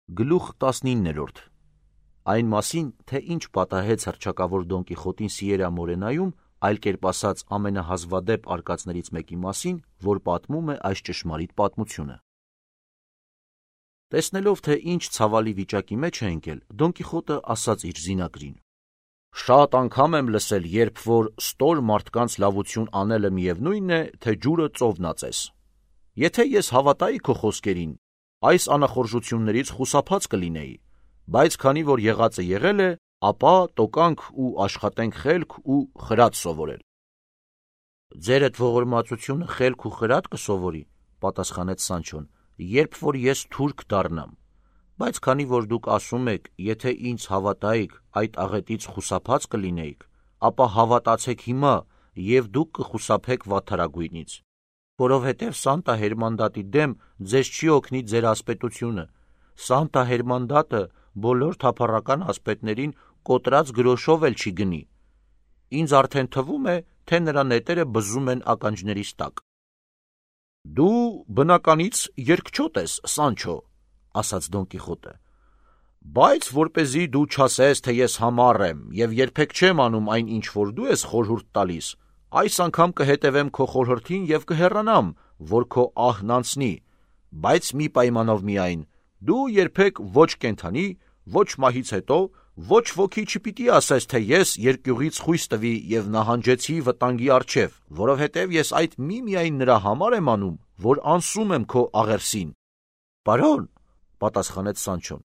Գլուխ 19-րդ Այն մասին, թե ինչ պատահեց հռչակավոր Դոն Կիխոտին Սիերա Մորենայում, այլ կերպ ասած ամենահազվադեպ արկածներից մեկի մասին, որ պատմում է այս ճշմարիտ պատմությունը։ Տեսնելով, թե ինչ ցավալի վիճակի մեջ է ընկել, Դոն Կիխոտը ասաց իր զինակրին. «Շատ անգամ եմ լսել, երբ որ ստոր մարդկանց լավություն անելը միևնույն է, թե ջուրը ծովն ածես։ Եթե ես հավատայի քո խոսքերին, այս անախորժություններից խուսափած կլինեի, բայց քանի որ եղածը եղել է, ապա տոկանք ու աշխատենք խելք ու խրատ սովորել»։ «Ձերդ ողորմածությունը խելք ու խրատ կսովորի», պատասխանեց Սանչոն, «երբ որ ես թուրք դառնամ, բայց քանի որ դուք ասում եք, եթե ինձ հավատայիք, այդ աղետից խուսափած կլինեիք, ապա հավատացեք հիմա և դուք կխուսափեք վատթարագույնից, որովհետև Սանտա Հերմանդատի դեմ ձեզ չի օգնի ձեր ասպետությունը, Սանտա Հերմանդատը բոլոր թափառական ասպետներին կոտրած գրոշով էլ չի գնի, ինձ արդեն թվում է, թե նրա նետերը բզում են ականջներիս տակ»։ «Դու բնականից երկչոտ ես, Սանչո», ասաց Դոն Կիխոտը, «բայց որպեսզի դու չասես, թե ես համառ եմ և երբեք չեմ անում այն, ինչ որ դու ես խորհուրդ տալիս, այս անգամ կհետևեմ քո խորհրդին և կհեռանամ, որ քո ահն անցնի, բայց մի պայմանով միայն, դու երբեք ոչ կենդանի, ոչ մահից հետո, ոչ ոքի չպիտի ասես, թե ես երկյուղից խույս տվի և նահանջեցի վտանգի առջև, որովհետև ես այդ միմիայն նրա համար եմ անում, որ անսում եմ քո աղերսին»։ «Պարոն», պատասխանեց Սանչոն,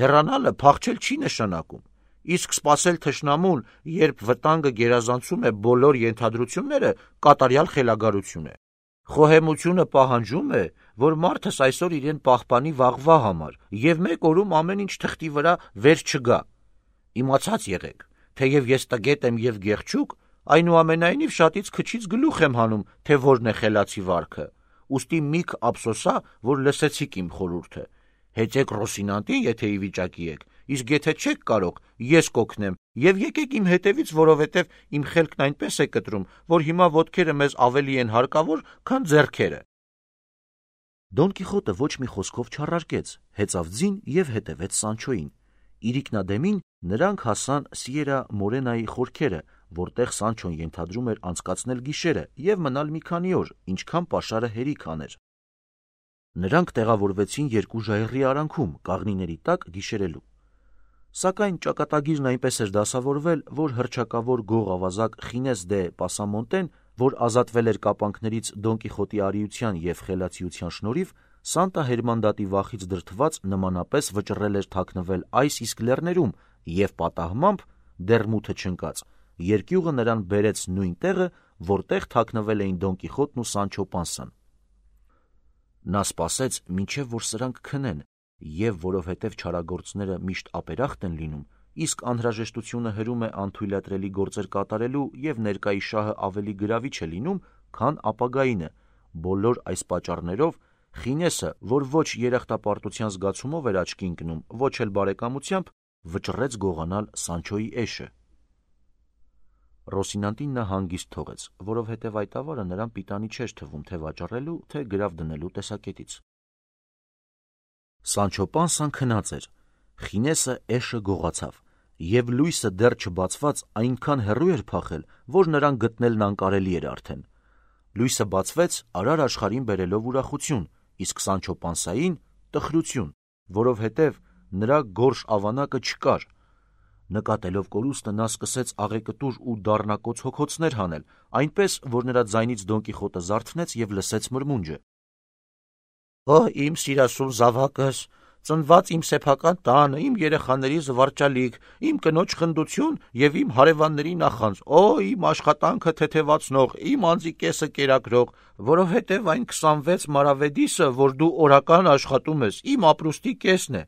«հեռանալը փախչել չի նշանակում, իսկ սպասել թշնամուն, երբ վտանգը գերազանցում է բոլոր ենթադրությունները, կատարյալ խելագարություն է։ Խոհեմությունը պահանջում է, որ մարդս այսօր իրեն պահպանի վաղվա համար և մեկ օրում ամեն ինչ թղթի վրա վեր չգա։ Իմացած եղեք, թեև ես տգետ եմ և գեղչուկ, այնուամենայնիվ շատից քչից գլուխ եմ հանում, թե որն է խելացի վարքը, ուստի միք ափսոսա, որ լսեցիք իմ խորհուրդը։ Հեծեք Ռոսինանտին, եթե ի վիճակի եք, իսկ եթե չեք կարող, ես կօգնեմ, և եկեք իմ հետևից, որովհետև իմ խելքն այնպես է կտրում, որ հիմա ոտքերը մեզ ավելի են հարկավոր, քան ձեռքերը»։ Դոն Կիխոտը ոչ մի խոսքով չառարկեց, հեծավ ձին և հետևեց Սանչոյին։ Իրիկնադեմին նրանք հասան Սիերա Մորենայի խորքերը, որտեղ Սանչոն ենթադրում էր անցկացնել գիշերը և մնալ մի քանի օր, ինչքան պաշարը հերիք աներ։ Նրանք տեղավորվեցին երկու ժայռի արանքում, կաղնիների տակ գիշերելու։ Սակայն ճակատագիրն այնպես էր դասավորվել, որ հռչակավոր գող-ավազակ Խինես դե Պասամոնտեն, որ ազատվել էր կապանքներից Դոն Կիխոտի արիության և խելացիության շնորհիվ, Սանտա Հերմանդատի վախից դրդված նմանապես վճռել էր թաքնվել այս իսկ լեռներում և պատահմամբ, դեռ մութը չընկած, երկյուղը նրան բերեց նույն տեղը, որտեղ թաքնվել էին Դոն Կիխոտն ու Սանչո Պանսան։ Նա սպասեց, մինչև որ սրանք քնեն, և որովհետև չարագործները միշտ ապերախտ են լինում, իսկ անհրաժեշտությունը հրում է անթույլատրելի գործեր կատարելու և ներկայի շահը ավելի գրավիչ է լինում, քան ապագայինը, բոլոր այս պատճառներով Խինեսը, որ ոչ երախտապարտության զգացումով էր աչքի ընկնում, ոչ էլ բարեկամությամբ, վճռեց գողանալ Սանչոյի էշը։ Ռոսինանտին նա հանգիստ թողեց, որովհետև այդ ավարը նրան պիտանի չէր թվում թե վաճառելու, թե գրավ դնելու տեսակետից։ Սանչո Պանսան քնած էր, Խինեսը էշը գողացավ, և լույսը դեռ չբացված այնքան հեռու էր փախել, որ նրան գտնելն անկարելի էր արդեն։ Լույսը բացվեց արար աշխարհին բերելով ուրախություն, իսկ Սանչո Պանսային տխրություն, որովհետև նրա գորշ ավանակը չկար։ Նկատելով կորուստը նա սկսեց աղեկտուր ու դառնակոծ հոգոցներ հանել, այնպես, որ նրա ձայնից Դոն Կիխոտը զարթնեց և լսեց մրմունջը. «Օ, իմ սիրասուն զավակս, ծնված իմ սեփական տանը, իմ երեխաների զվարճալիք, իմ կնոջ խնդություն և իմ հարևանների նախանձ, օ, իմ աշխատանքը թեթևացնող, իմ անձի կեսը կերակրող, որովհետև այն 26 մարավեդիսը, որ դու օրական աշխատում ես, իմ ապրուստի կեսն է»։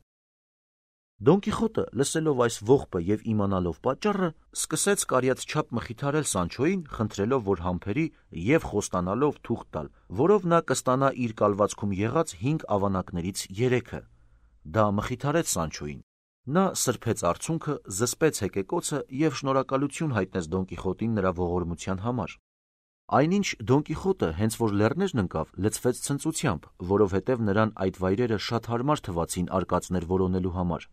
Դոն Կիխոտը, լսելով այս ողբը և իմանալով պատճառը, սկսեց կարիաթչափ մխիթարել Սանչոյին, խնդրելով, որ համբերի և խոստանալով թուղթ տալ, որով նա կստանա իր կալվածքում եղած 5 ավանակներից 3-ը։ Դա մխիթարեց Սանչոյին։ Նա սրբեց արցունքը, զսպեց հեկեկոցը և շնորհակալություն հայտնեց Դոն Կիխոտին նրա ողորմության համար։ Այնինչ Դոն Կիխոտը հենց որ լեռներն ընկավ, լցվեց ցնծությամբ, որովհետև նրան այդ վայրերը շատ հարմար թվացին արկածներ որոնելու համար։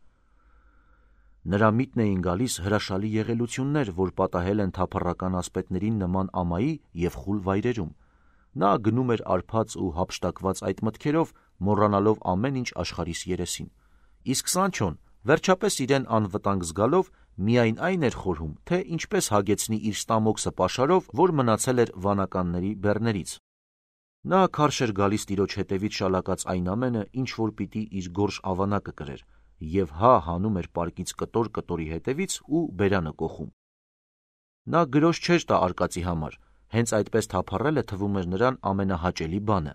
Նրա միտքն էին գալիս հրաշալի եղելություններ, որ պատահել են թափառական ասպետներին նման ամայի և խուլ վայրերում։ Նա գնում էր արփած ու հափշտակված այդ մտքերով, մոռանալով ամեն ինչ աշխարհիս երեսին։ Իսկ Սանչոն, վերջապես իրեն անվտանգ զգալով, միայն այն էր խորհում, թե ինչպես հագեցնի իր ստամոքսը պաշարով, որ մնացել էր վանականների բեռներից։ Նա քարշ էր գալիս տիրոջ հետևից շալակած այն ամենը, ինչ որ պիտի իր գորշ ավանակը կրեր, և հանում էր պարկից կտոր-կտորի հետևից ու բերանը կոխում։ Նա գրոշ չէր տա արկածի համար, հենց այդպես թափառելը թվում էր նրան ամենահաճելի բանը։